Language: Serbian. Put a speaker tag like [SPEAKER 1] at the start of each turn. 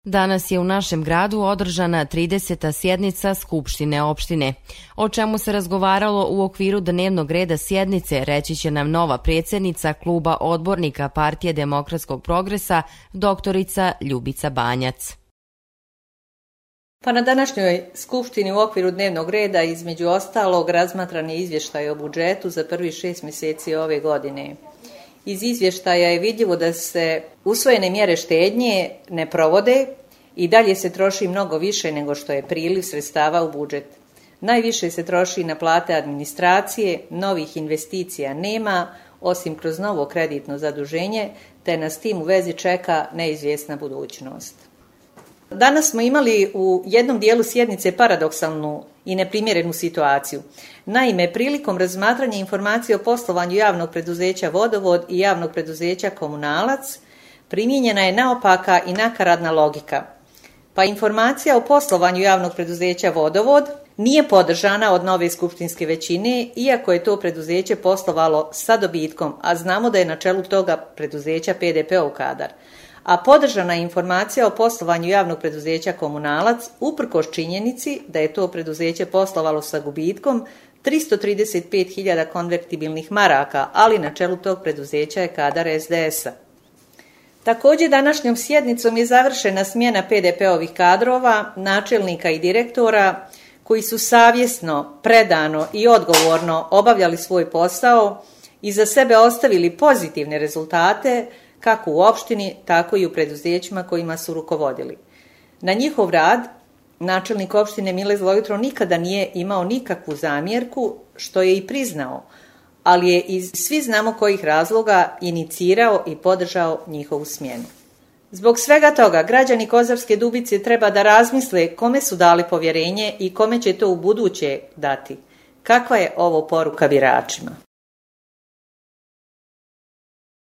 [SPEAKER 1] Danas je u našem gradu održana 30. sjednica Skupštine opštine. O čemu se razgovaralo u okviru dnevnog reda sjednice, reći će nam nova predsjednica kluba odbornika Partije demokratskog progresa, doktorica Ljubica Banjac.
[SPEAKER 2] Pa na današnjoj Skupštini u okviru dnevnog reda između ostalog razmatran je izvještaj o budžetu za prvih 6 mjeseci ove godine. Iz izvještaja je vidljivo da se usvojene mjere štednje ne provode i dalje se troši mnogo više nego što je priliv sredstava u budžet. Najviše se troši na plate administracije, novih investicija nema, osim kroz novo kreditno zaduženje, te nas tim u vezi čeka neizvjesna budućnost. Danas smo imali u jednom dijelu sjednice paradoksalnu i neprimjerenu situaciju. Naime, prilikom razmatranja informacije o poslovanju javnog preduzeća Vodovod i javnog preduzeća Komunalac primijenjena je naopaka i nakaradna logika. Pa informacija o poslovanju javnog preduzeća Vodovod nije podržana od nove skupštinske većine, iako je to preduzeće poslovalo sa dobitkom, a znamo da je na čelu toga preduzeća PDP-ov kadar. A podržana je informacija o poslovanju javnog preduzeća Komunalac uprkos činjenici da je to preduzeće poslovalo sa gubitkom 335.000 konvertibilnih maraka, ali na čelu tog preduzeća je kadar SDS-a. Također današnjom sjednicom je završena smjena PDP-ovih kadrova, načelnika i direktora koji su savjesno, predano i odgovorno obavljali svoj posao i za sebe ostavili pozitivne rezultate kako u opštini, tako i u preduzećima kojima su rukovodili. Na njihov rad načelnik opštine Mile Zlojutro nikada nije imao nikakvu zamjerku, što je i priznao, ali je iz svi znamo kojih razloga inicirao i podržao njihovu smjenu. Zbog svega toga, građani Kozarske Dubice treba da razmisle kome su dali povjerenje i kome će to u buduće dati. Kakva je ovo poruka biračima?